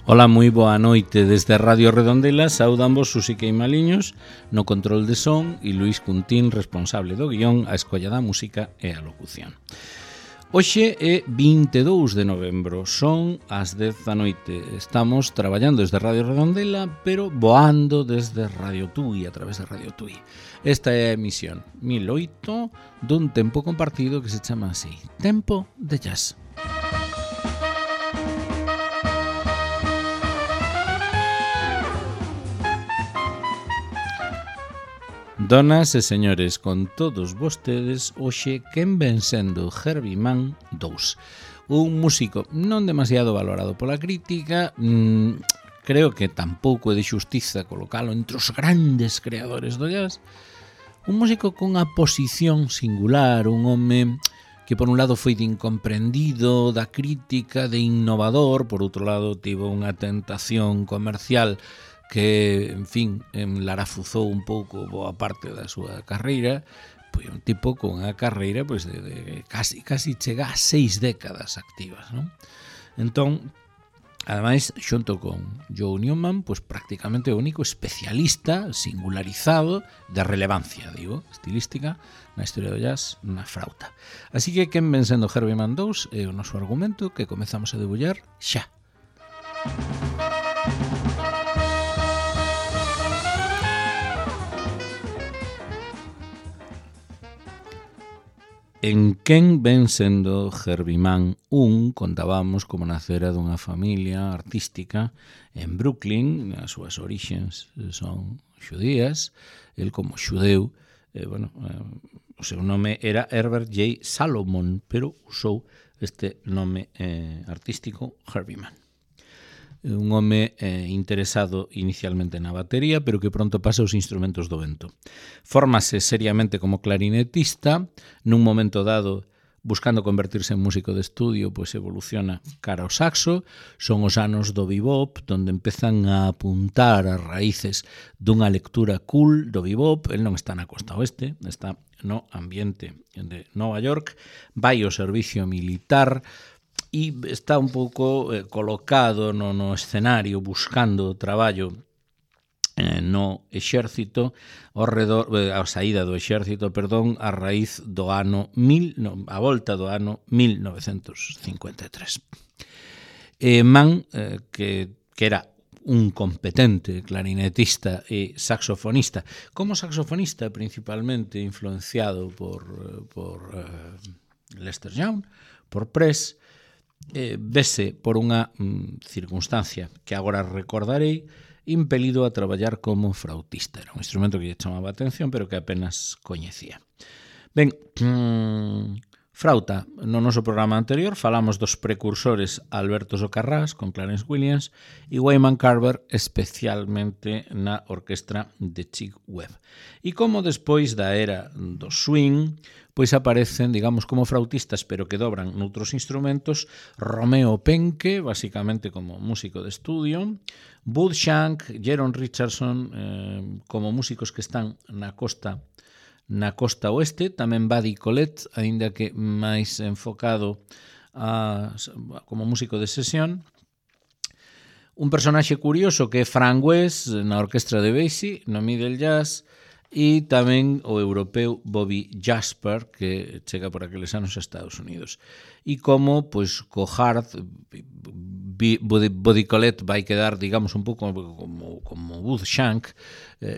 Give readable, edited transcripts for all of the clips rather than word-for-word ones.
Ola, moi boa noite desde Radio Redondela. Saudamos Susi Queimaliños no control de son e Luís Cuntín, responsable do guión, a escolla da música e a locución. Hoxe é 22 de novembro, son as 10 da noite. Estamos traballando desde Radio Redondela, pero voando desde Radio Tui, a través de Radio Tui. Esta é a emisión 1008 dun tempo compartido que se chama así, Tempo de Jazz. Donas e señores, con todos vostedes, hoxe quen ven sendo Herbie Mann 2. Un músico non demasiado valorado pola crítica, creo que tampouco é de xustiza colocalo entre os grandes creadores do jazz. Un músico cunha posición singular, un home que por un lado foi de incomprendido da crítica, de innovador, por outro lado tivo unha tentación comercial que, en fin, enlarafuzou un pouco boa parte da súa carreira. Pois un tipo con unha carreira pois, de casi chega a 6 décadas activas, non? Entón, ademais, xunto con Joe Newman, pois prácticamente o único especialista singularizado de relevancia, digo, estilística, na historia do jazz, na frauta. Así que quen ven sendo Herbie Mann 2 é o noso argumento que comezamos a debullar xa. En quen ven sendo Herbie Mann 1, contábamos como nacera dunha familia artística en Brooklyn, as súas orixens son xudías, el como xudeu, o seu nome era Herbert J. Salomon, pero usou este nome artístico Herbie Mann. Un home interesado inicialmente na batería, pero que pronto pasa aos instrumentos do vento. Fórmase seriamente como clarinetista, nun momento dado, buscando convertirse en músico de estudio, pois evoluciona cara ao saxo. Son os anos do bebop, donde empezan a apuntar as raíces dunha lectura cool do bebop. El non está na costa oeste, está no ambiente de Nova York, vai ao servicio militar, e está un pouco colocado no escenario buscando traballo no exército a saída do exército, a raíz do ano a volta do ano 1953. Mann, que era un competente clarinetista e saxofonista, como saxofonista principalmente influenciado por Lester Young, por Press, vese por unha circunstancia que agora recordarei, impelido a traballar como frautista. Era un instrumento que lle chamaba a atención, pero que apenas coñecía. Ben, frauta. No noso programa anterior falamos dos precursores Alberto Socarrás con Clarence Williams e Wyman Carver, especialmente na orquestra de Chick Webb. E como despois da era do swing, pois aparecen, digamos, como frautistas, pero que dobran noutros instrumentos, Romeo Penke, basicamente como músico de estudio, Bud Shank, Jeron Richardson, como músicos que están na costa oeste, tamén Buddy Collette, aínda que máis enfocado como músico de sesión. Un personaxe curioso que é Frank West na orquestra de Basie, no middle jazz, e tamén o europeo Bobby Jasper, que chega por aqueles anos a Estados Unidos. E como, pois, co hard, Buddy Collette vai quedar, digamos, un pouco como Bud Shank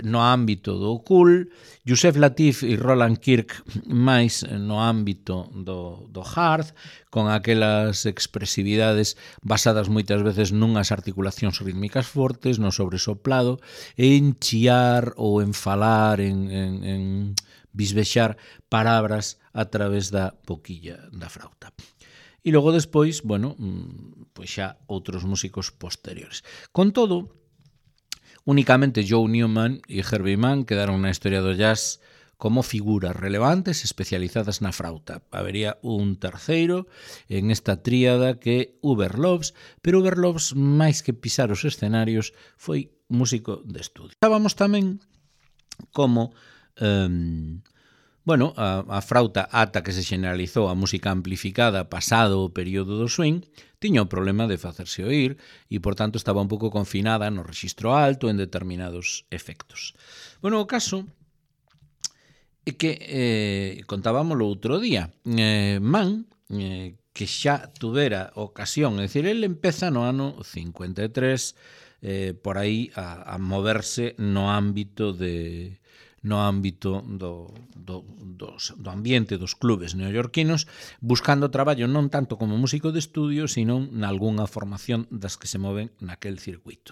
no ámbito do cool, Yusef Lateef e Roland Kirk máis no ámbito do hard, con aquelas expresividades basadas moitas veces nunhas articulacións rítmicas fortes, no sobresoplado, en chiar ou en falar, en bisbexar palabras a través da boquilla da frauta. E logo despois, pois xa outros músicos posteriores. Con todo, únicamente Joe Newman e Herbie Mann quedaron na historia do jazz como figuras relevantes especializadas na frauta. Habería un terceiro en esta tríada que é Hubert Loves, pero Hubert Loves, máis que pisar os escenarios, foi músico de estudio. Sabamos tamén como Bueno, a frauta ata que se generalizou a música amplificada pasado o período do swing, tiña o problema de facerse oír e, por tanto, estaba un pouco confinada no rexistro alto en determinados efectos. Bueno, o caso é que contábamoslo outro día. Mann, que xa tuvera ocasión, é dicir, ele empeza no ano 53 por aí a moverse no ámbito do ambiente dos clubes neoyorquinos, buscando traballo non tanto como músico de estudio, sino nalgunha formación das que se moven naquel circuito.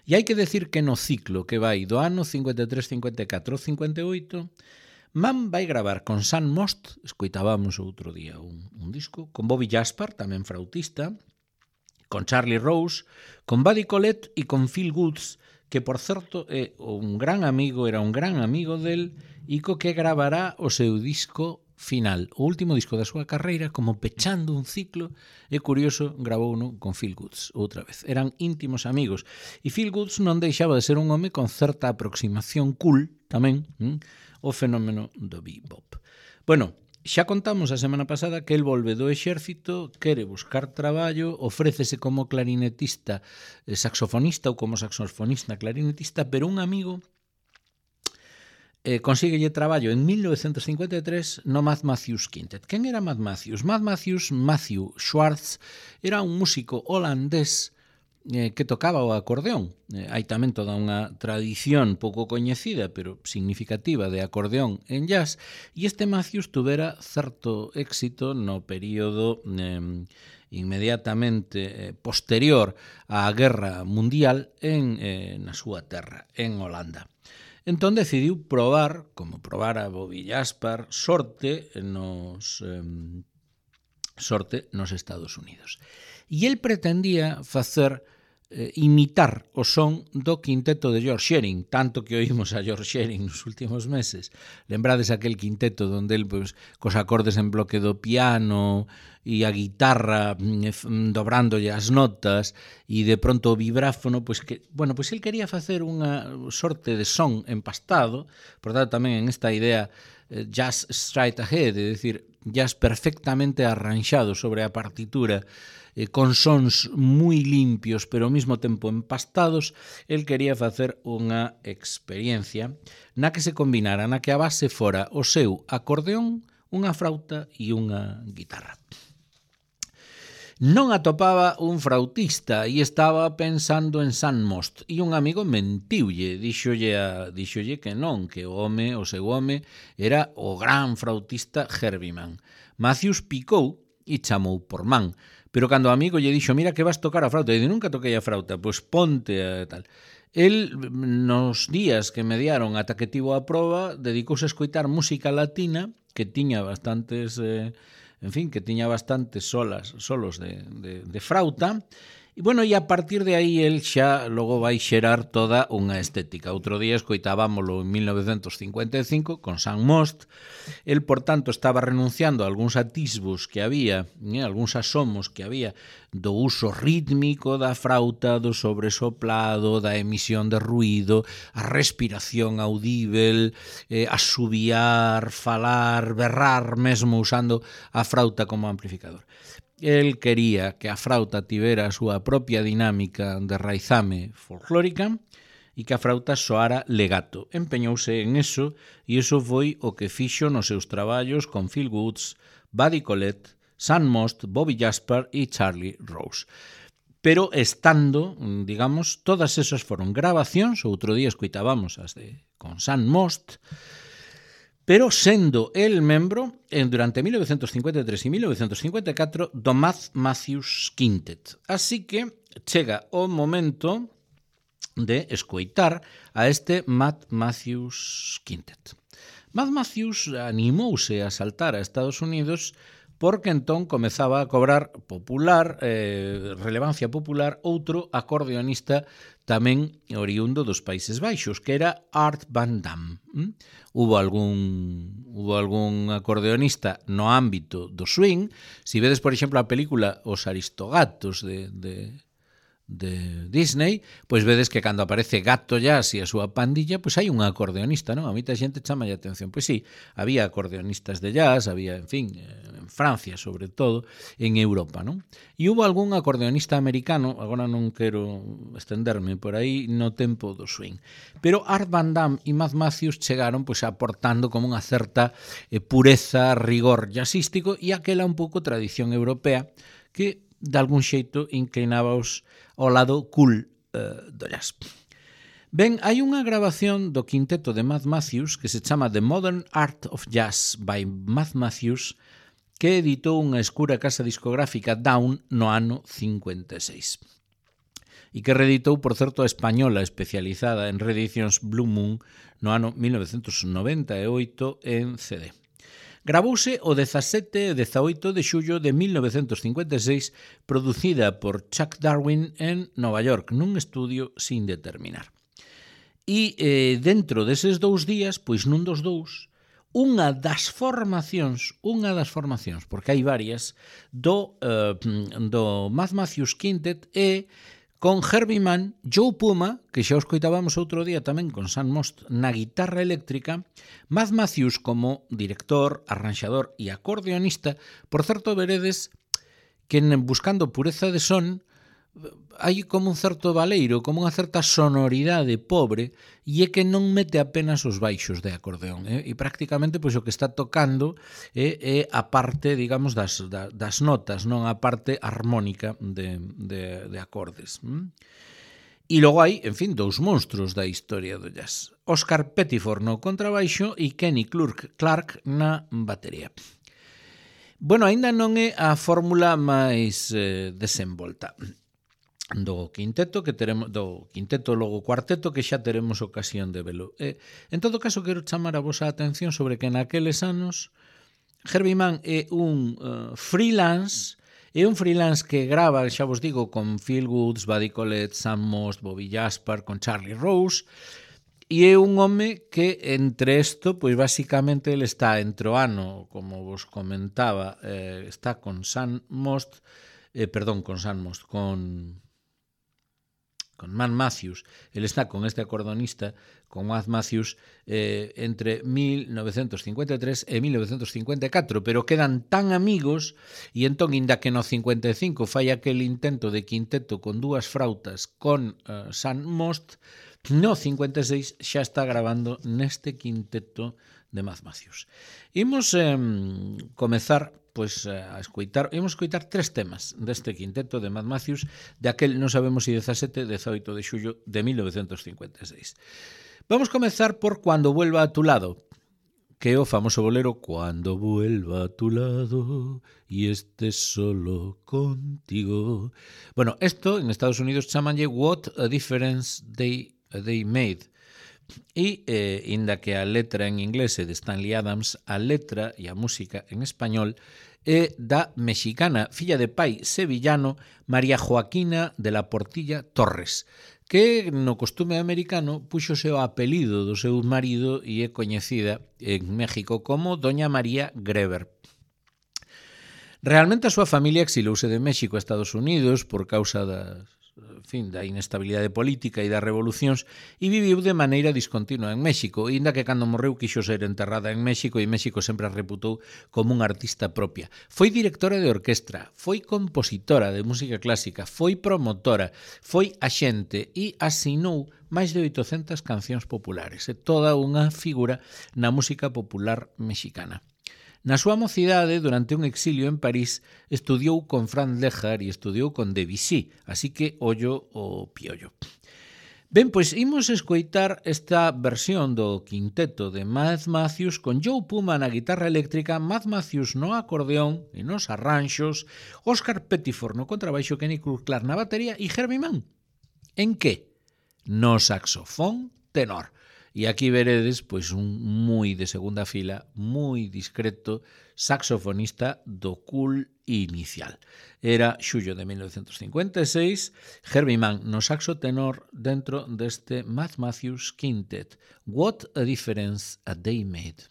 E hai que decir que no ciclo que vai do ano 53, 54 58, Mann vai gravar con Sam Most, escoitábamos outro día un disco, con Bobby Jaspar, tamén flautista, con Charlie Rose, con Buddy Collette e con Phil Woods, que, por certo, era un gran amigo del, e co que gravará o seu disco final, o último disco da súa carreira, como pechando un ciclo. É curioso, gravouno con Phil Woods outra vez. Eran íntimos amigos. E Phil Woods non deixaba de ser un home con certa aproximación cool, tamén, o fenómeno do bebop. Bueno, xa contamos a semana pasada que el volve do exército, quere buscar traballo, ofrécese como clarinetista, saxofonista ou como saxofonista clarinetista, pero un amigo consíguelle traballo en 1953 no Matt Matthews Quintet. Quen era Matt Matthews? Matthew Schwartz, era un músico holandés que tocaba o acordeón. Hai tamén toda unha tradición pouco coñecida, pero significativa, de acordeón en jazz, e este Matthews tuvera certo éxito no período inmediatamente posterior á Guerra Mundial na súa terra, en Holanda. Entón decidiu probar, como probara Bobby Jaspar, sorte nos Estados Unidos. E el pretendía imitar o son do quinteto de George Shearing, tanto que oímos a George Shearing nos últimos meses. Lembrades aquel quinteto donde el, cos acordes en bloque do piano e a guitarra dobrándolle as notas e de pronto o vibráfono, el quería facer unha sorte de son empastado, por tanto tamén en esta idea jazz straight ahead, é dicir, jazz perfectamente arranxado sobre a partitura, con sons moi limpios pero ao mesmo tempo empastados. El quería facer unha experiencia na que se combinara, na que a base fora o seu acordeón, unha frauta e unha guitarra. Non atopaba un flautista e estaba pensando en Sam Most, e un amigo mentiulle, díxolle que non, que o seu home era o gran flautista Herbie Mann. Matthews picou e chamou por Mann, pero cando o amigo lle dixo, mira que vas tocar a frauta, e dixo, nunca toquei a frauta, pois ponte a tal. El, nos días que mediaron ata que tivo a proba, dedicouse a escoitar música latina, que tiña bastantes solos de frauta, e bueno, e a partir de aí el xa logo vai xerar toda unha estética. Outro día escoitábamolo en 1955 con Sam Most. El, por tanto, estaba renunciando a algúns atisbos que había, algúns asomos que había do uso rítmico da frauta, do sobresoplado, da emisión de ruído, a respiración audível, asubiar, falar, berrar, mesmo usando a frauta como amplificador. El quería que a frauta tivera a súa propia dinámica de raizame folclórica e que a frauta soara legato. Empeñouse en eso, e iso foi o que fixo nos seus traballos con Phil Woods, Buddy Collette, Sam Most, Bobby Jaspar e Charlie Rose. Pero estando, digamos, todas esas foron grabacións, outro día escoitábamos as con Sam Most, pero sendo el membro durante 1953 e 1954 do Matt Matthews Quintet. Así que chega o momento de escoitar a este Matt Matthews Quintet. Matt Matthews animouse a saltar a Estados Unidos porque entón comezaba a cobrar relevancia popular outro acordeonista tamén oriundo dos Países Baixos, que era Art Van Damme. Hubo algún acordeonista no ámbito do swing. Si vedes, por exemplo, a película Os Aristogatos de de Disney, pois vedes que cando aparece Gato Jazz e a súa pandilla, pois hai un acordeonista, non? A moita xente chama a atención. Pois sí, había acordeonistas de jazz, había, en fin, en Francia, sobre todo, en Europa, non? E hubo algún acordeonista americano, agora non quero estenderme por aí, no tempo do swing. Pero Art Van Damme e Matt Matthews chegaron pois aportando como unha certa pureza, rigor jazzístico e aquela un pouco tradición europea que de algún xeito inclinábaos ao lado cool do jazz. Ben, hai unha grabación do quinteto de Matt Matthews que se chama The Modern Art of Jazz by Matt Matthews, que editou unha escura casa discográfica Down no ano 56 e que reeditou, por certo, a española especializada en reedicións Blue Moon no ano 1998 en CD. Gravouse o 17 e 18 de xullo de 1956, producida por Chuck Darwin en Nova York, nun estudio sin determinar. E dentro deses 2 días, pois nun dos dous, unha das formacións, porque hai varias, do Matt Matthews Quintet é con Herbie Mann, Joe Puma, que xa os coitábamos outro día tamén con Sam Most na guitarra eléctrica, Matt Matthews como director, arranxador e acordeonista. Por certo, veredes que buscando pureza de son hai como un certo baleiro, como unha certa sonoridade pobre, e é que non mete apenas os baixos de acordeón, e prácticamente pois o que está tocando é a parte, digamos, das notas, non a parte armónica de acordes. E logo hai, en fin, 2 monstruos da historia do jazz. Oscar Pettiford no contrabaixo e Kenny Clark na batería. Bueno, aínda non é a fórmula máis desenvolta do quinteto que teremos, do quinteto logo cuarteto que xa teremos ocasión de velo. En todo caso, quero chamar a vosa atención sobre que naqueles anos Herbie Mann é un freelance, que grava, xa vos digo, con Phil Woods, Buddy Collette, Sam Most, Bobby Jasper, con Charlie Rose, e é un home que entre isto, pois basicamente ele está entre o ano, como vos comentaba, está con Sam Most, con Matt Matthews, ele está con este acordeonista, con Matt Matthews, entre 1953 e 1954, pero quedan tan amigos, e entón, inda que no 55 fai aquel intento de quinteto con 2 frautas con Sam Most, no 56 xa está grabando neste quinteto de Matt Matthews. Imos comezar pois a escoitar, imos escoitar 3 temas deste quinteto de Matt Matthews, de aquel non sabemos se 17, 18 de xullo de 1956. Vamos comezar por Cuando vuelva a tu lado, que é o famoso bolero Cuando vuelva a tu lado y estés solo contigo. Bueno, esto en Estados Unidos chamanlle What a Difference They Made. E, inda que a letra en inglés é de Stanley Adams, a letra e a música en español é da mexicana, filla de pai sevillano, María Joaquina de la Portilla Torres, que no costume americano puxose o apelido do seu marido e é coñecida en México como Doña María Greber. Realmente a súa familia exilouse de México a Estados Unidos por causa da inestabilidade política e das revolucións e viviu de maneira discontinua en México, inda que cando morreu quixo ser enterrada en México e México sempre a reputou como unha artista propia. Foi directora de orquestra, foi compositora de música clásica, foi promotora, foi axente e asinou máis de 800 cancións populares. É toda unha figura na música popular mexicana. Na súa mocidade, durante un exilio en París, estudiou con Franz Lejar e estudiou con Debussy, así que ollo o piollo. Ben, pois imos escoitar esta versión do quinteto de Matt Matthews con Joe Puma na guitarra eléctrica, Matt Matthews no acordeón e nos arranxos, Oscar Pettiford no contrabaixo, Kenny Clark na batería e Herbie Mann. En que? No saxofón tenor. E aquí veredes pois un moi de segunda fila, moi discreto saxofonista do cool inicial. Era xullo de 1956, Herbie Mann no saxo tenor dentro deste Matt Matthews Quintet. What a Difference a Day Made.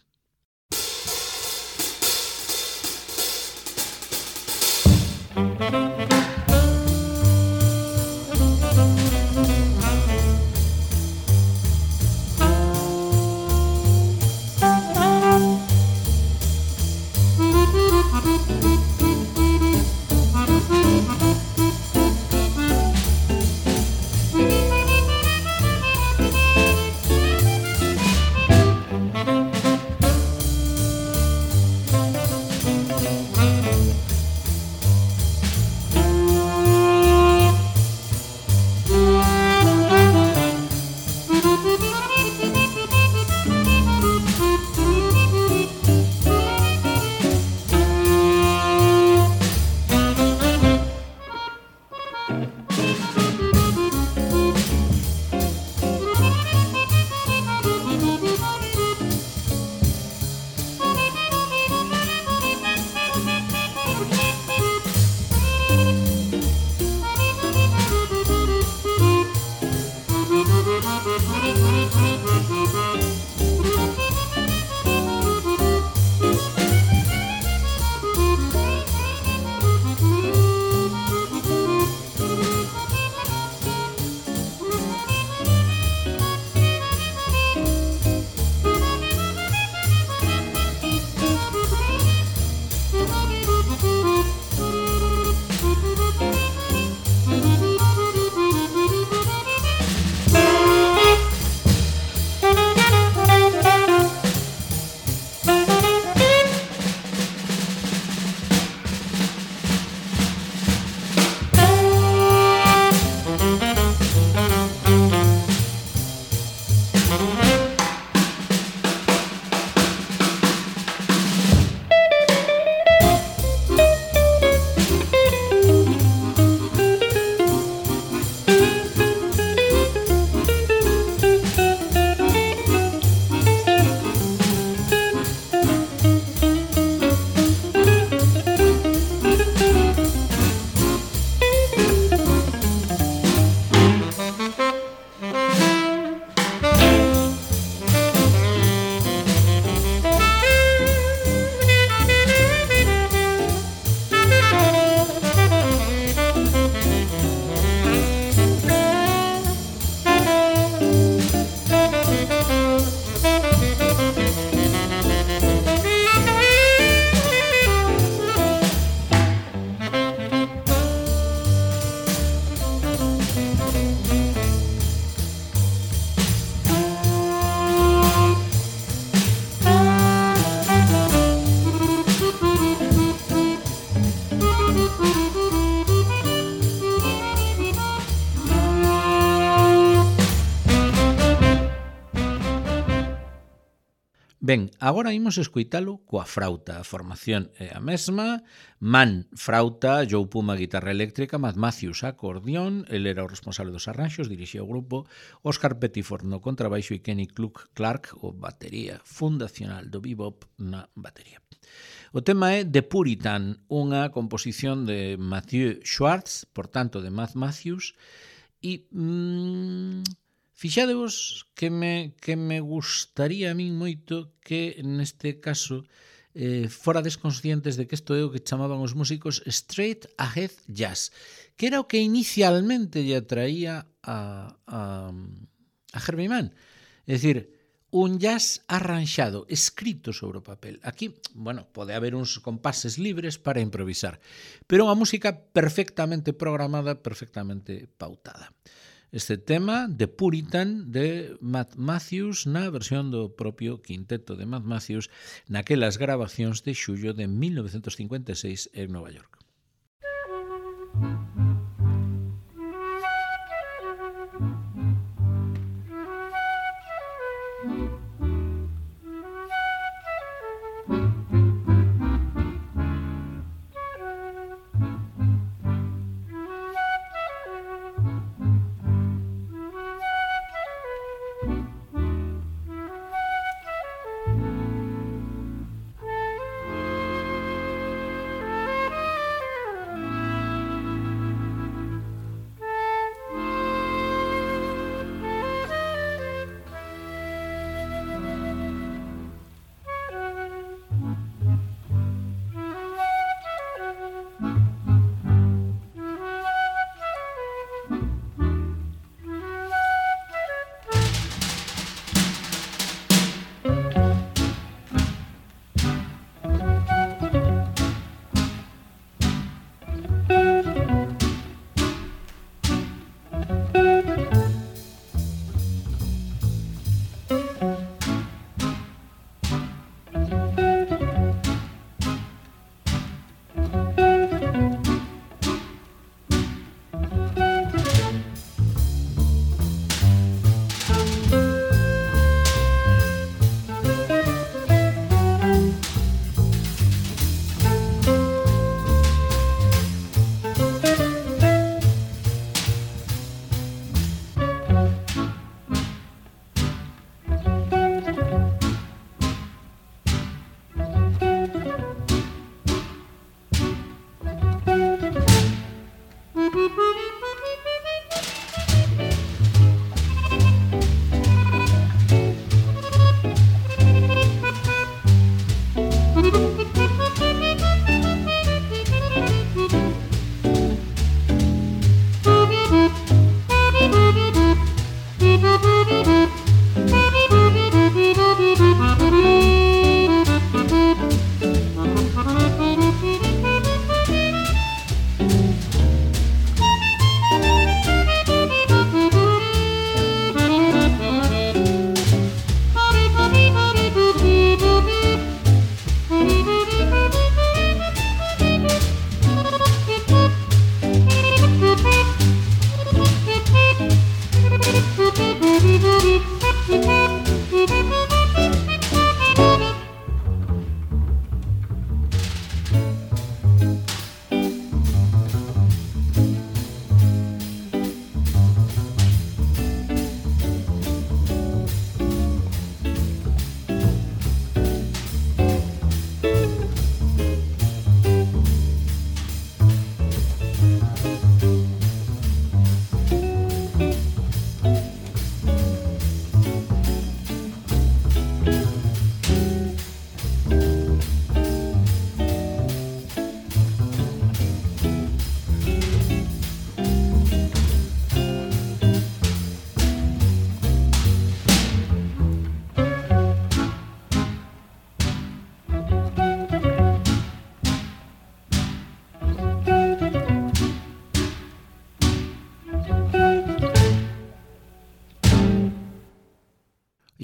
Ben, agora imos escoitalo coa frauta. A formación é a mesma. Man, frauta, Joe Puma, guitarra eléctrica, Matt Matthews, acordeón, el era o responsable dos arranxos, dirixía o grupo, Oscar Pettiford no contrabaixo e Kenny Clark, o batería fundacional do bebop na batería. O tema é The Puritan, unha composición de Matthew Schwartz, por tanto de Matt Matthews, e fixadevos que me gustaría a min moito que neste caso forades conscientes de que isto é o que chamaban os músicos straight ahead jazz, que era o que inicialmente lle atraía a Herbie Mann. É dicir, un jazz arranxado, escrito sobre o papel. Aquí, bueno, pode haber uns compases libres para improvisar, pero unha música perfectamente programada, perfectamente pautada. Este tema, The Puritan, de Matt Matthews, na versión do propio quinteto de Matt Matthews, naquelas grabacións de xullo de 1956 en Nova York.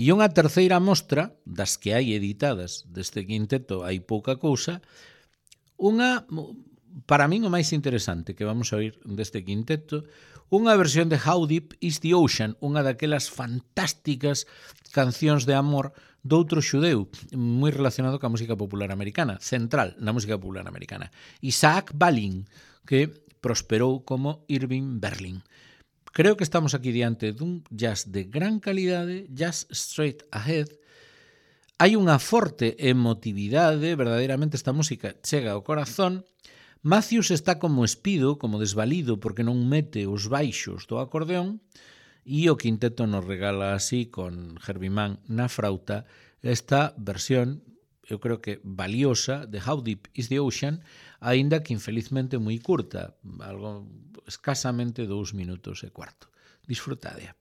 E unha terceira mostra, das que hai editadas deste quinteto hai pouca cousa, unha, para min o máis interesante que vamos a oír deste quinteto, unha versión de How Deep is the Ocean, unha daquelas fantásticas cancións de amor doutro xudeu, moi relacionado ca música popular americana, central na música popular americana, Isaac Balin, que prosperou como Irving Berlin. Creo que estamos aquí diante dun jazz de gran calidade, jazz straight ahead. Hai unha forte emotividade, verdadeiramente esta música chega ao corazón. Matthews está como espido, como desvalido, porque non mete os baixos do acordeón, e o quinteto nos regala así, con Herbie Mann na frauta, esta versión, eu creo que valiosa, de How Deep is the Ocean, aínda que infelizmente moi curta, algo escasamente 2 minutos e cuarto. Disfrutadea.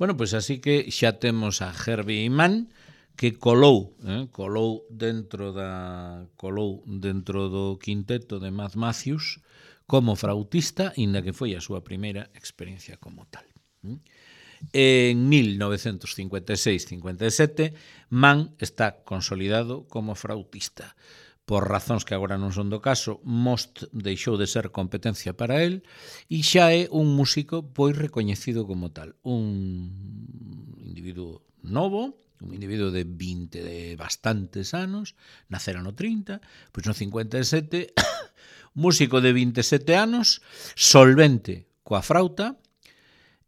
Bueno, pois así que xa temos a Herbie Mann, que colou dentro do quinteto de Matt Matthews como frautista, inda que foi a súa primeira experiencia como tal. En 1956-57, Mann está consolidado como frautista. Por razóns que agora non son do caso, Most deixou de ser competencia para el e xa é un músico pois recoñecido como tal. Un individuo novo, un individuo de bastantes anos, nacera no 30, pois no 57, músico de 27 anos, solvente coa frauta,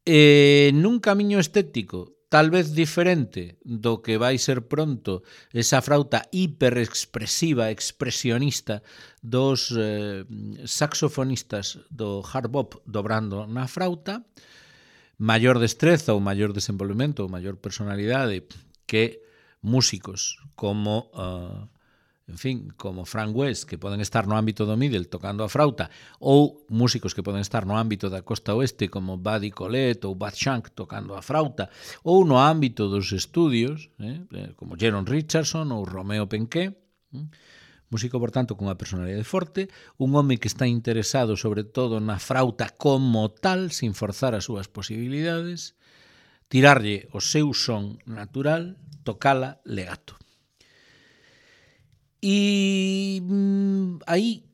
nun camiño estético tal vez diferente do que vai ser pronto esa frauta hiperexpresiva, expresionista dos saxofonistas do hard bop dobrando na frauta, maior destreza ou maior desenvolvemento ou maior personalidade que músicos como como Frank West, que poden estar no ámbito do middle tocando a frauta, ou músicos que poden estar no ámbito da costa oeste como Buddy Collette ou Bud Shank tocando a frauta, ou no ámbito dos estudios, como Jaron Richardson ou Romeo Penquet, músico, por tanto, cunha personalidade forte, un home que está interesado sobre todo na frauta como tal, sin forzar as súas posibilidades, tirarlle o seu son natural, tocala legato. E aí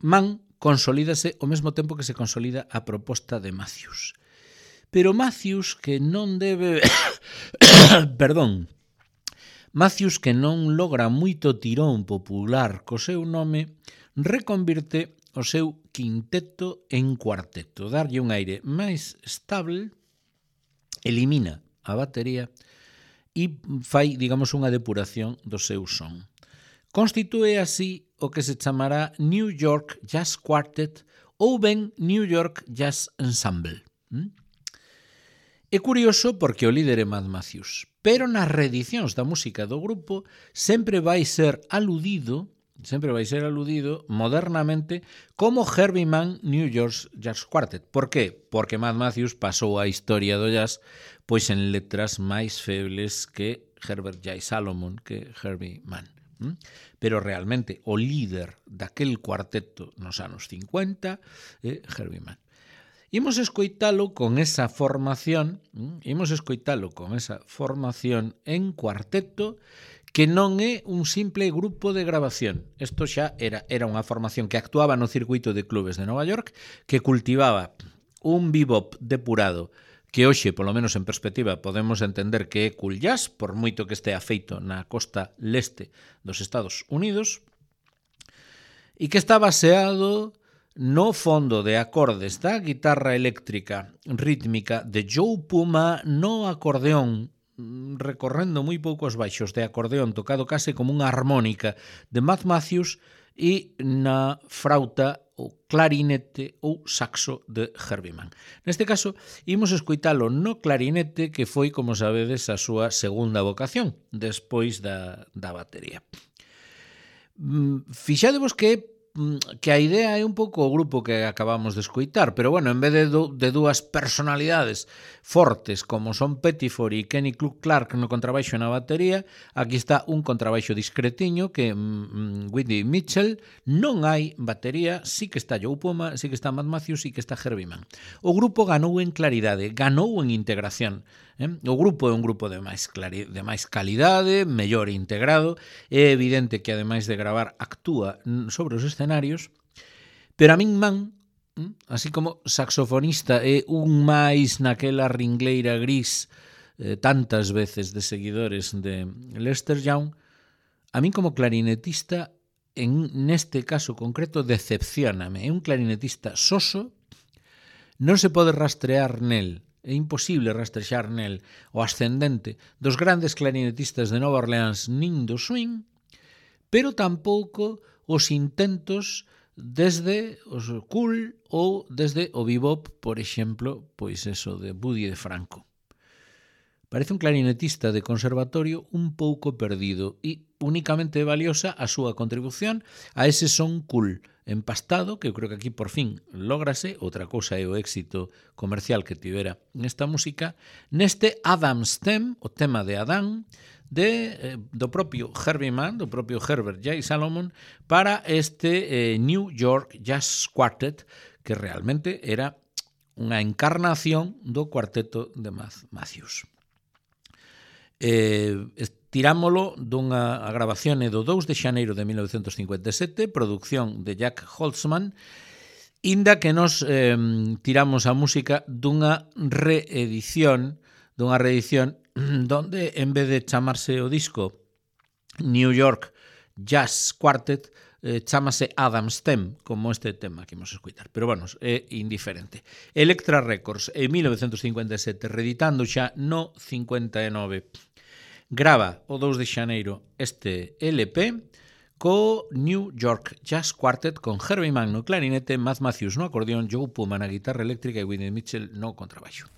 Mann consolídase ao mesmo tempo que se consolida a proposta de Matthews. Pero Matthews, que non debe Matthews, que non logra moito tirón popular co seu nome, reconvirte o seu quinteto en cuarteto, darlle un aire máis estable, elimina a batería e fai, digamos, unha depuración do seu son. Constitúe así o que se chamará New York Jazz Quartet ou ben New York Jazz Ensemble. É curioso porque o líder é Mad Matthews, pero nas reedicións da música do grupo sempre vai ser aludido modernamente como Herbie Mann New York Jazz Quartet. Por qué? Porque Mad Matthews pasou a historia do jazz pois en letras máis febles que Herbert J. Salomon, que Herbie Mann. Pero realmente o líder daquel cuarteto nos anos 50 é Herbie Mann. Imos escoitalo con esa formación en cuarteto que non é un simple grupo de grabación. Isto xa era unha formación que actuaba no circuito de clubes de Nova York, que cultivaba un bebop depurado, que hoxe, polo menos en perspectiva, podemos entender que é cool jazz, por moito que estea feito na costa leste dos Estados Unidos, e que está baseado no fondo de acordes da guitarra eléctrica rítmica de Joe Puma, no acordeón, recorrendo moi poucos baixos de acordeón, tocado case como unha armónica de Mad Matthews, e na frauta ou clarinete ou saxo de Herbie Mann. Neste caso, imos escoitalo no clarinete, que foi, como sabedes, a súa segunda vocación, despois da batería. Fixadevos que a idea é un pouco o grupo que acabamos de escoitar, pero bueno, en vez de dúas personalidades fortes como son Pettiford e Kenny Clark no contrabaixo e na batería, aquí está un contrabaixo discretiño que Whitney Mitchell, non hai batería, sí que está Joe Puma, sí que está Mad Matthews, sí que está Herbie Mann. O grupo ganou en claridade, ganou en integración. O grupo é un grupo de máis calidade, mellor integrado. É evidente que, ademais de gravar, actúa sobre os escenarios, pero a min Mann, así como saxofonista, é un máis naquela ringleira gris tantas veces de seguidores de Lester Young. A min como clarinetista, neste caso concreto, decepcióname. É un clarinetista soso, non se pode rastrear nel, é imposible rastrexar nel o ascendente dos grandes clarinetistas de Nova Orleans nin do swing, pero tampouco os intentos desde os cool ou desde o bebop, por exemplo, pois eso de Buddy DeFranco. Parece un clarinetista de conservatorio un pouco perdido e únicamente valiosa a súa contribución a ese son cool empastado, que eu creo que aquí por fin lógrase. Outra cousa é o éxito comercial que tivera nesta música, neste Adam's Theme, o tema de Adán, do propio Herbie Mann, do propio Herbert J. Salomon, para este New York Jazz Quartet, que realmente era unha encarnación do cuarteto de Mad Matthews. Tirámolo dunha grabación do 2 de xaneiro de 1957, produción de Jack Holtzman, inda que nos tiramos a música dunha reedición donde, en vez de chamarse o disco New York Jazz Quartet, chámase Adam's Theme, como este tema que imos escoitar. Pero, bueno, é indiferente. Elektra Records, en 1957, reeditando xa no 59, grava o 2 de xaneiro este LP co New York Jazz Quartet con Herbie Mann no clarinete, Mad Matthews no acordeón, Joe Puma na guitarra eléctrica e Whitney Mitchell no contrabaixo.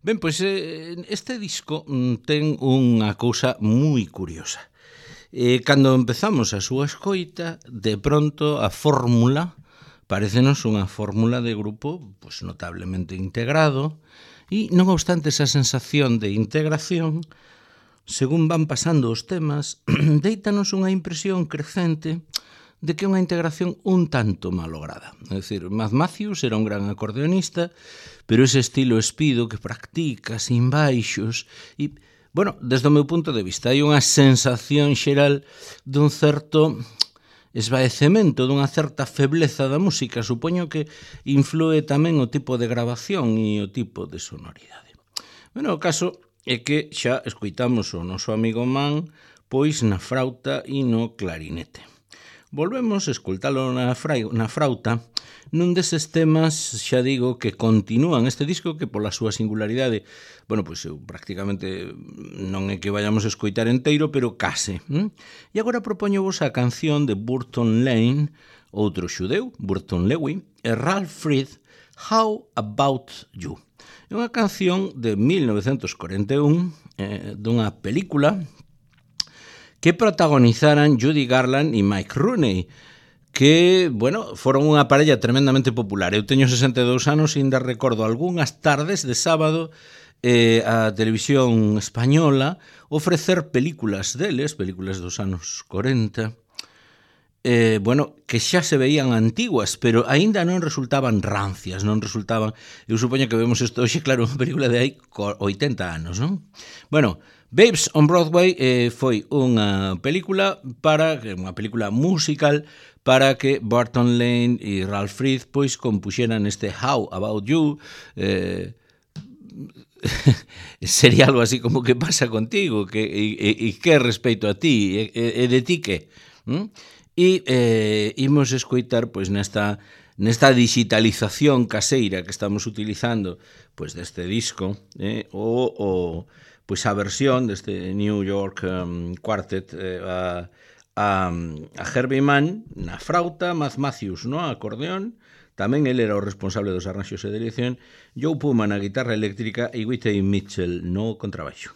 Ben, pois este disco ten unha cousa moi curiosa. Cando empezamos a súa escoita, de pronto a fórmula parécenos unha fórmula de grupo pois, notablemente integrado e, non obstante esa sensación de integración, según van pasando os temas, deítanos unha impresión crecente de que é unha integración un tanto malograda. É dicir, Mad Matthews era un gran acordeonista, pero ese estilo espido que practica sin baixos e, bueno, desde o meu punto de vista, hai unha sensación xeral dun certo esvaecemento, dunha certa febleza da música. Supoño que influe tamén o tipo de grabación e o tipo de sonoridade. Bueno, o caso é que xa escoitamos o noso amigo Man pois na frauta e no clarinete. Volvemos a escoltalo na frauta nun deses temas, xa digo, que continúan este disco que pola súa singularidade, bueno, pois eu prácticamente non é que vayamos a escoitar enteiro, pero case. E agora propoñovos a canción de Burton Lane, outro xudeu, Burton Lewy, e Ralph Freed, How About You. É unha canción de 1941 dunha película que protagonizaran Judy Garland e Mike Rooney, que, bueno, foron unha parella tremendamente popular. Eu teño 62 anos e ainda recordo algunhas tardes de sábado a televisión española ofrecer películas deles, películas dos anos 40, bueno, que xa se veían antiguas, pero aínda non resultaban rancias, non resultaban... Eu supoño que vemos isto hoxe, claro, unha película de hai 80 anos, non? Bueno, Babes on Broadway foi unha película musical para que Burton Lane e Ralph Freed pois compuxeran este How About You, sería algo así como que pasa contigo, e que respeito a ti, e de ti que? E imos escoitar pois nesta digitalización caseira que estamos utilizando pois deste disco, pois a versión deste New York Quartet a Herbie Mann na frauta, Mad Matthews no acordeón, tamén ele era o responsable dos arranxos e dirección, Joe Puma na guitarra eléctrica e Whitey Mitchell no contrabaixo.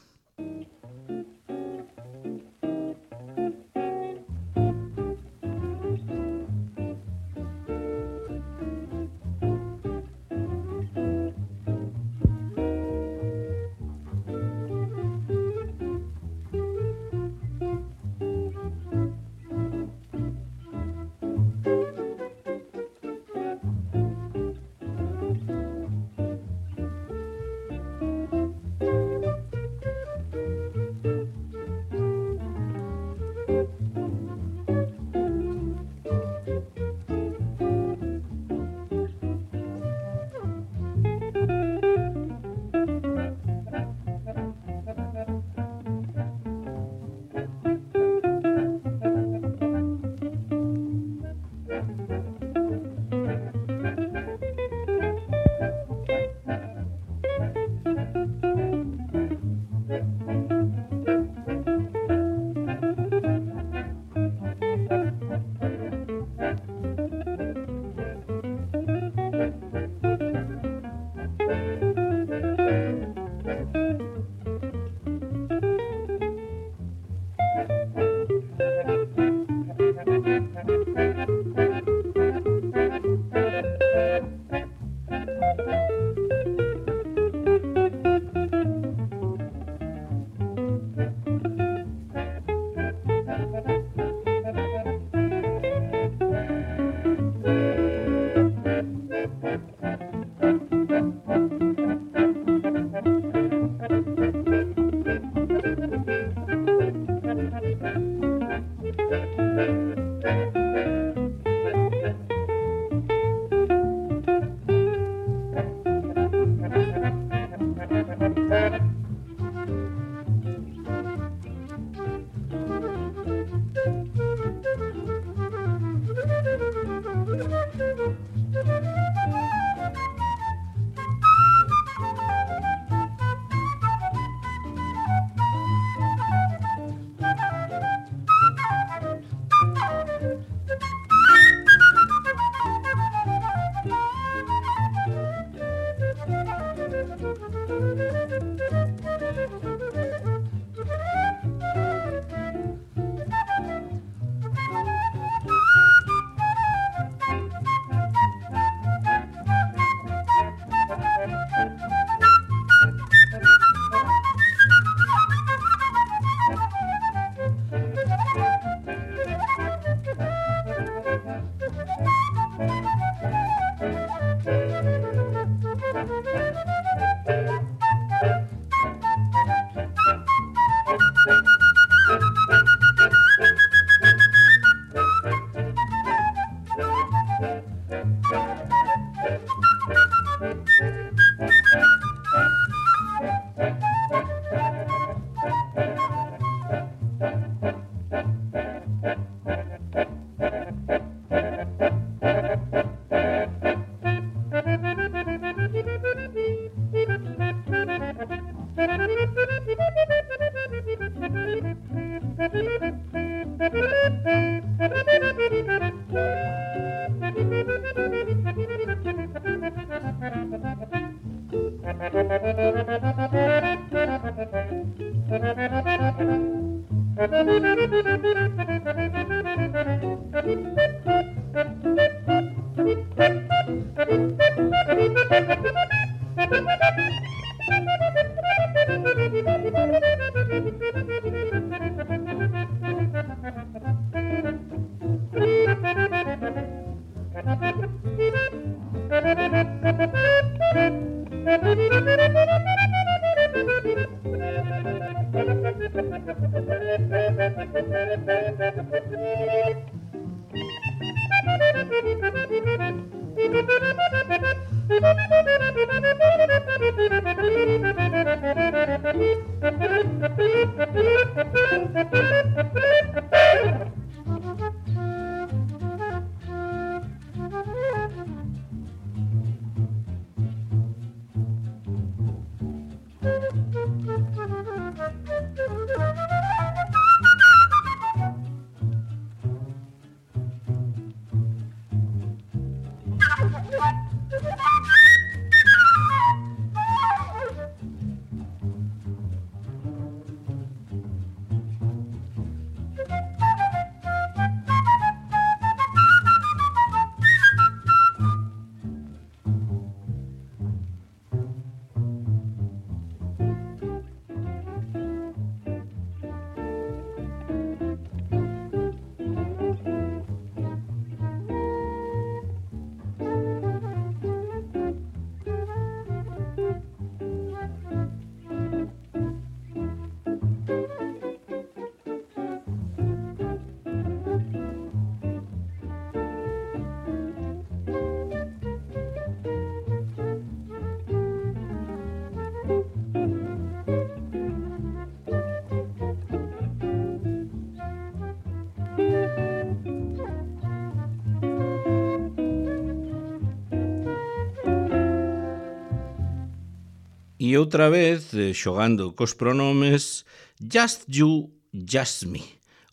E outra vez, xogando cos pronomes, Just You, Just Me,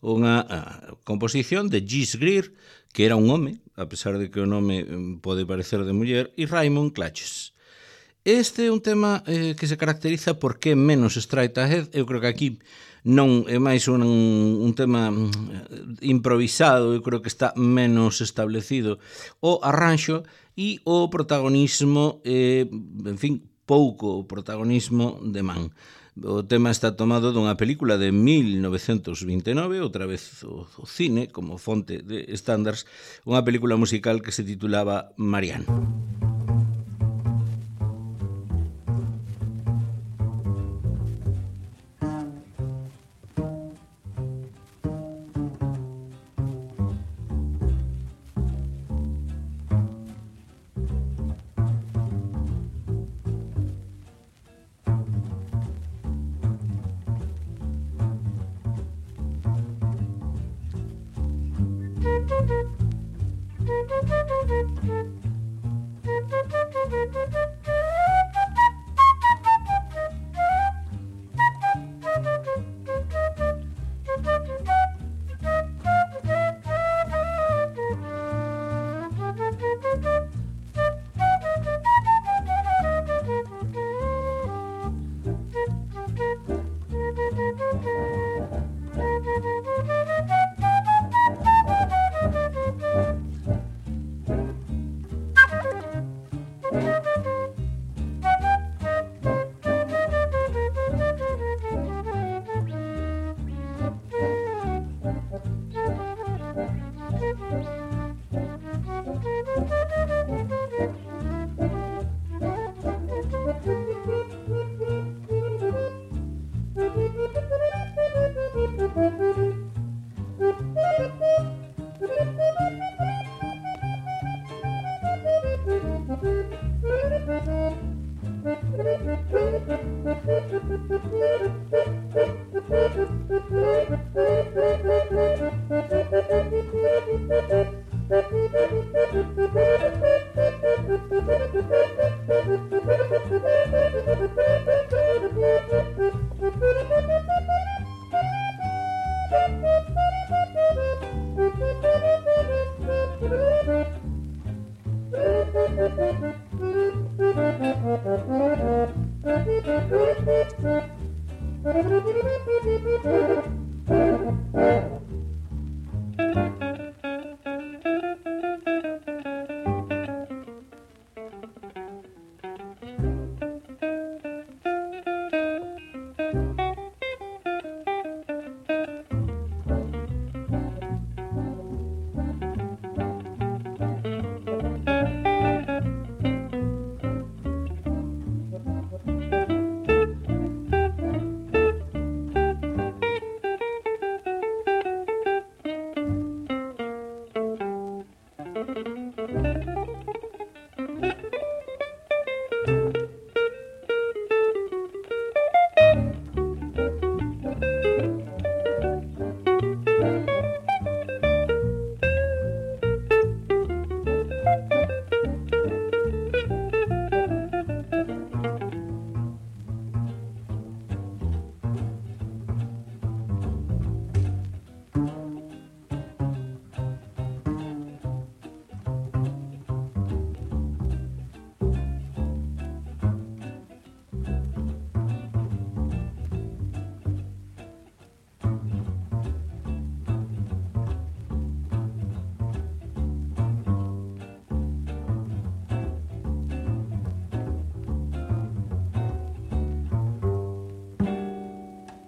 unha composición de Gis Greer, que era un home, a pesar de que o nome pode parecer de muller, e Raymond Clutches. Este é un tema que se caracteriza porque é menos straight ahead. Eu creo que aquí non é máis un tema improvisado, eu creo que está menos establecido o arranxo e o protagonismo, en fin, pouco protagonismo de man. O tema está tomado dunha película de 1929, outra vez o cine como fonte de estándares, unha película musical que se titulaba Marianne.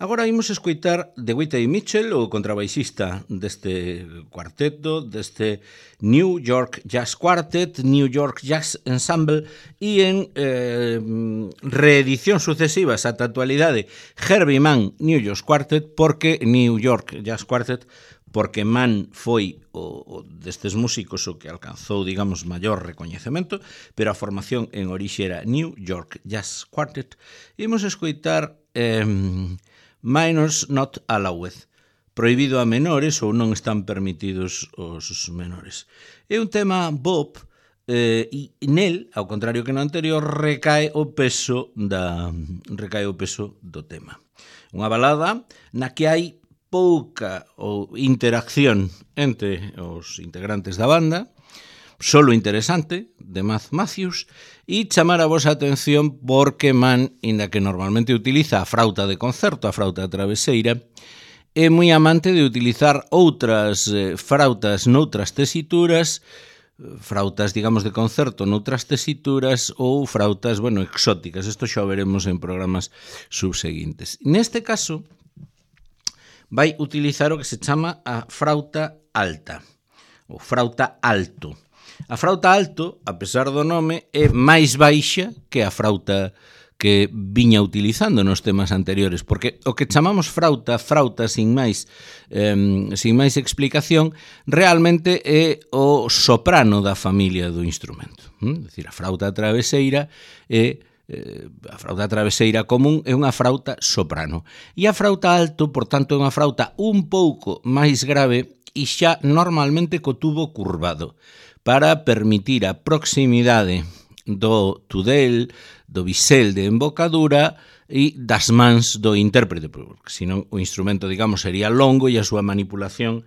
Agora imos escoitar de Whitey Mitchell, o contrabaixista deste cuarteto, deste New York Jazz Quartet, New York Jazz Ensemble, e en reedición sucesivas ata a actualidade Herbie Mann New York Quartet, porque New York Jazz Quartet, porque Mann foi o destes músicos o que alcanzou, digamos, maior recoñecemento, pero a formación en orixe era New York Jazz Quartet. Imos escoitar Minors Not Allowed, prohibido a menores ou non están permitidos os menores. É un tema bop e nel, ao contrario que no anterior, recae o peso do tema. Unha balada na que hai pouca interacción entre os integrantes da banda, solo interesante, de Matt Matthews, e chamar a vosa atención porque Mann, inda que normalmente utiliza a frauta de concerto, a frauta traveseira, é moi amante de utilizar outras frautas noutras tesituras, frautas, digamos, de concerto noutras tesituras ou frautas, exóticas. Isto xa o veremos en programas subseguintes. Neste caso, vai utilizar o que se chama a frauta alta, ou frauta alto. A frauta alto, a pesar do nome, é máis baixa que a frauta que viña utilizando nos temas anteriores, porque o que chamamos frauta sin máis explicación, realmente é o soprano da familia do instrumento. É dicir, a frauta traveseira común é unha frauta soprano. E a frauta alto, por tanto, é unha frauta un pouco máis grave e xa normalmente co tubo curvado, para permitir a proximidade do tudel, do bisel de embocadura e das mans do intérprete, porque senón o instrumento, digamos, sería longo e a súa manipulación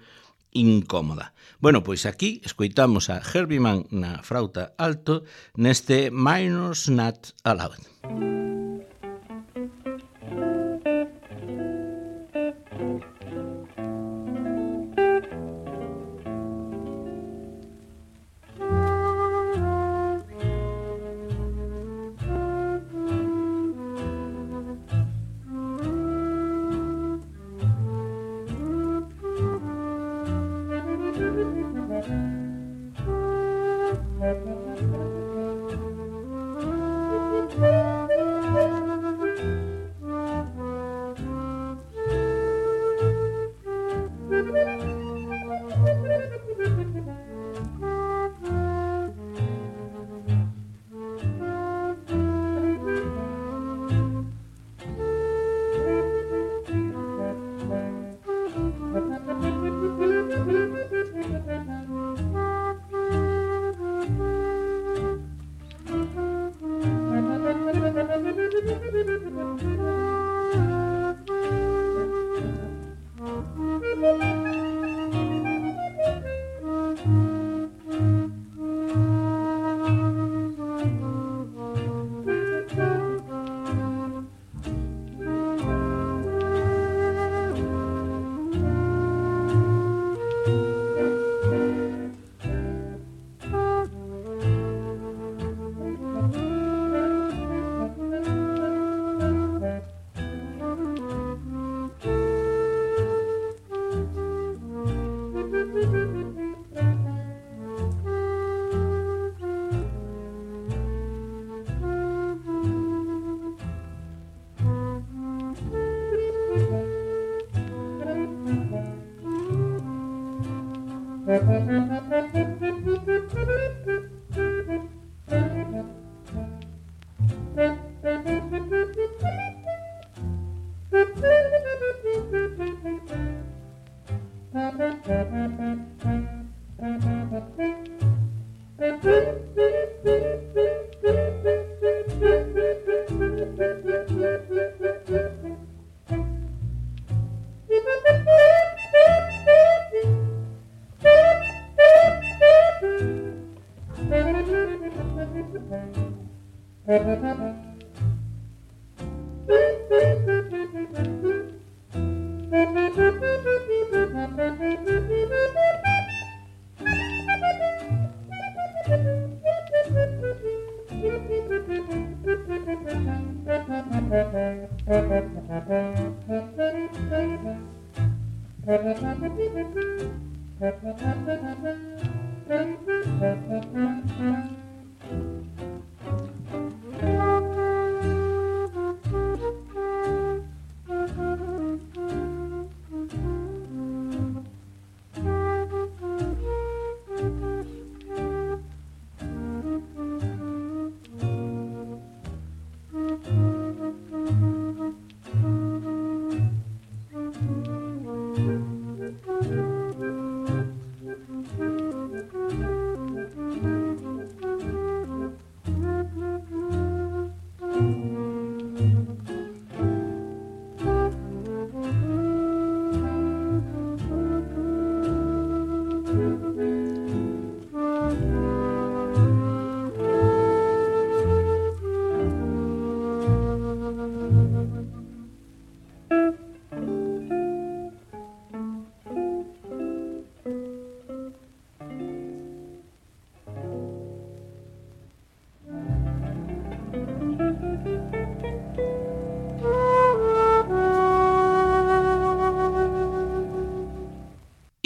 incómoda. Bueno, pois aquí escoitamos a Herbie Mann na frauta alto neste Minors Not Allowed.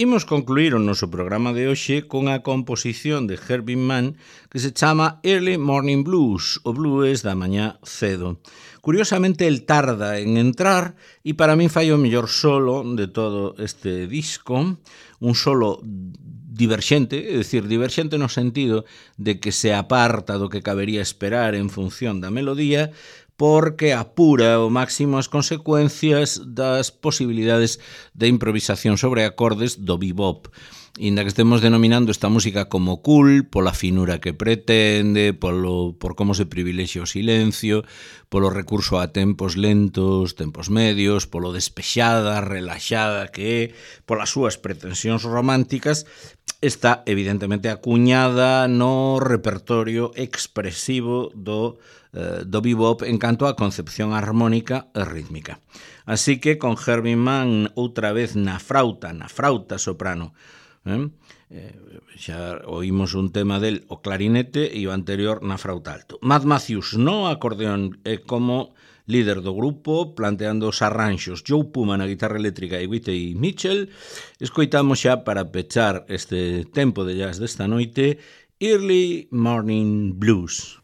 Imos concluir o noso programa de hoxe con a composición de Herbie Mann que se chama Early Morning Blues, o blues da mañá cedo. Curiosamente, el tarda en entrar e para min fai o mellor solo de todo este disco, un solo diverxente, é dicir, diverxente no sentido de que se aparta do que cabería esperar en función da melodía, porque apura ao máximo as consecuencias das posibilidades de improvisación sobre acordes do bebop. Inda que estemos denominando esta música como cool, pola finura que pretende, por como se privilexia o silencio, polo recurso a tempos lentos, tempos medios, polo despexada, relaxada que é, polas súas pretensións románticas, está evidentemente acuñada no repertorio expresivo do bebop en canto á concepción armónica e rítmica. Así que con Herbie Mann outra vez na frauta soprano, xa oímos un tema del o clarinete e o anterior na frauta alto. Matt Matthews no acordeón como líder do grupo, planteando os arranxos Joe Puma na guitarra eléctrica e Whitey Mitchell. Escoitamos xa para pechar este tempo de jazz desta noite Early Morning Blues.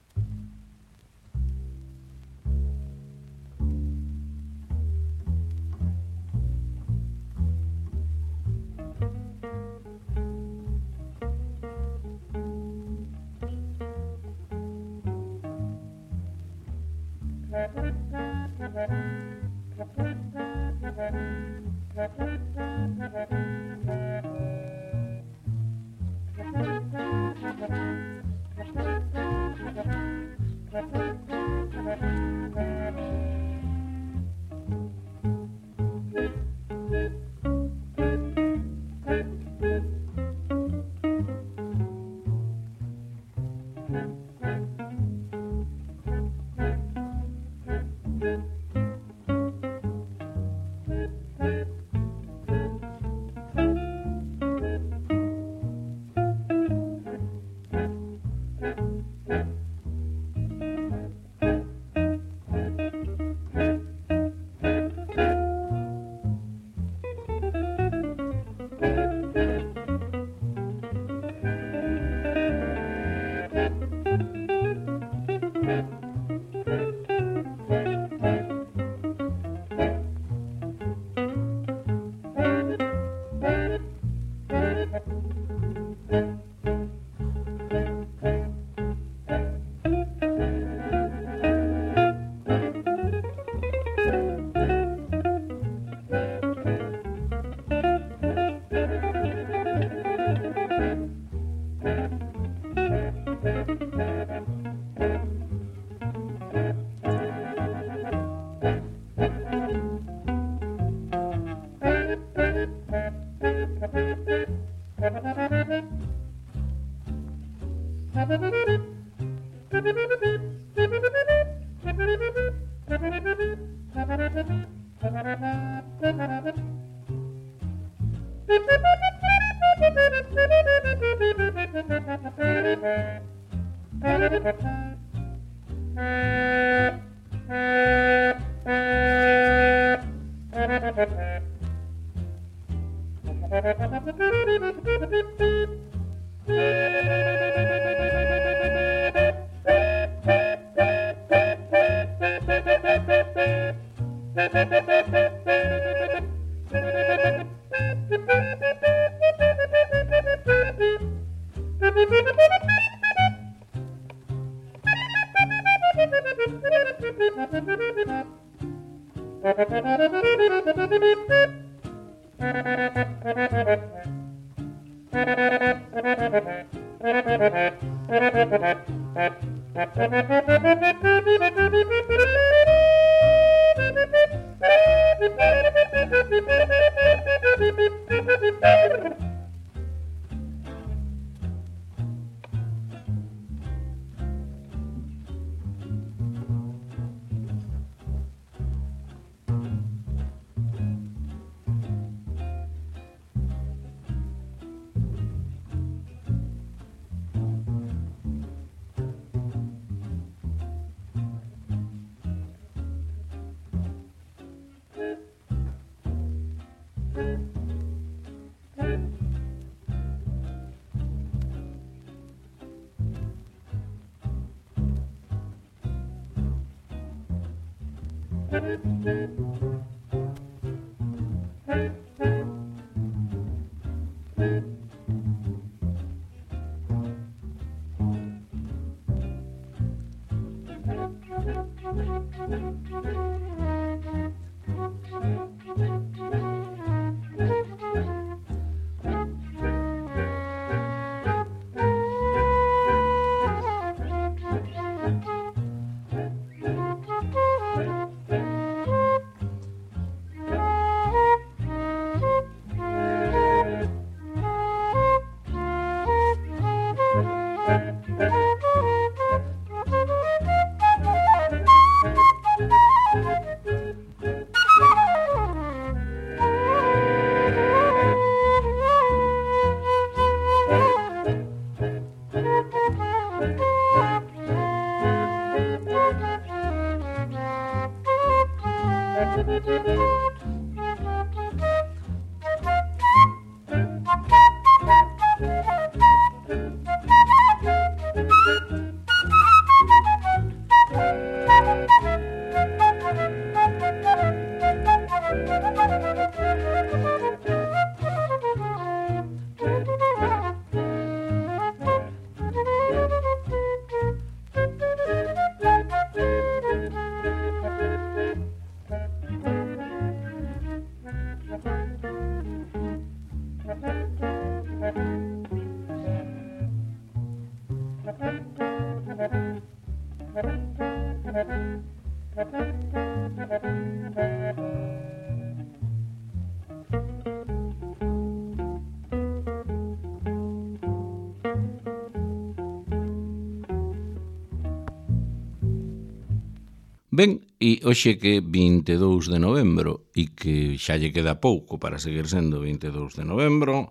Ben, e hoxe que 22 de novembro e que xa lle queda pouco para seguir sendo 22 de novembro,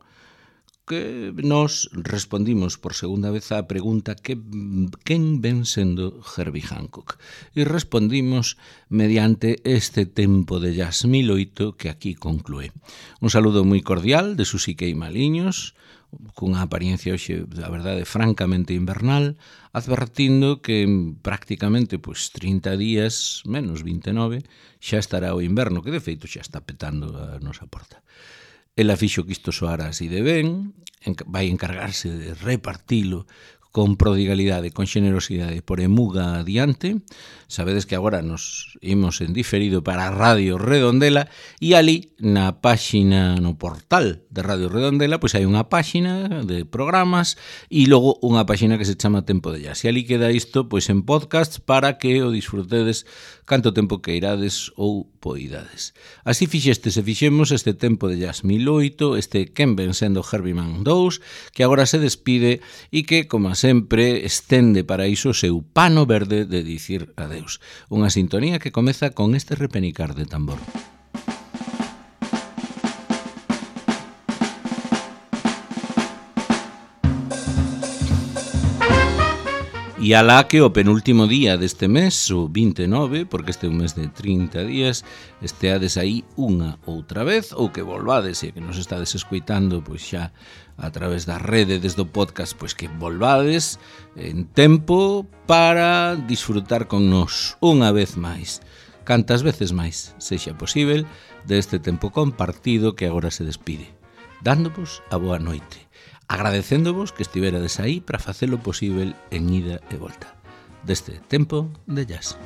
que nos respondimos por segunda vez á pregunta quen ven sendo Herbie Hancock. E respondimos mediante este tempo de jazz 1008 que aquí conclúe. Un saludo moi cordial de Susi Queimaliños, cunha apariencia hoxe, a verdade, francamente invernal, advertindo que prácticamente 30 días, menos 29, xa estará o inverno, que de feito xa está petando a nosa porta. Ela fixo que isto soara así de ben, vai encargarse de repartilo con prodigalidade, con xenerosidade por emuga adiante. Sabedes que agora nos imos en diferido para Radio Redondela e ali na páxina, no portal de Radio Redondela, pois hai unha páxina de programas e logo unha páxina que se chama Tempo de Jazz. E ali queda isto pois en podcast para que o disfrutedes canto tempo que irades ou poidades. Así fixemos este Tempo de Jazz 1008, este quen ven sendo Herbie Man 2, que agora se despide e que, como sempre, estende para iso o seu pano verde de dicir adeus. Unha sintonía que comeza con este repenicar de tambor. E alá que o penúltimo día deste mes, o 29, porque este é un mes de 30 días, esteades aí unha outra vez, ou que volvades, e que nos estades escoitando, pois xa a través da rede desde o podcast, pois que volvades en tempo para disfrutar con nos unha vez máis, cantas veces máis sexa posible, deste tempo compartido que agora se despide, dándovos a boa noite, agradecéndovos que estiverades aí para facelo posible en ida e volta deste tempo de jazz.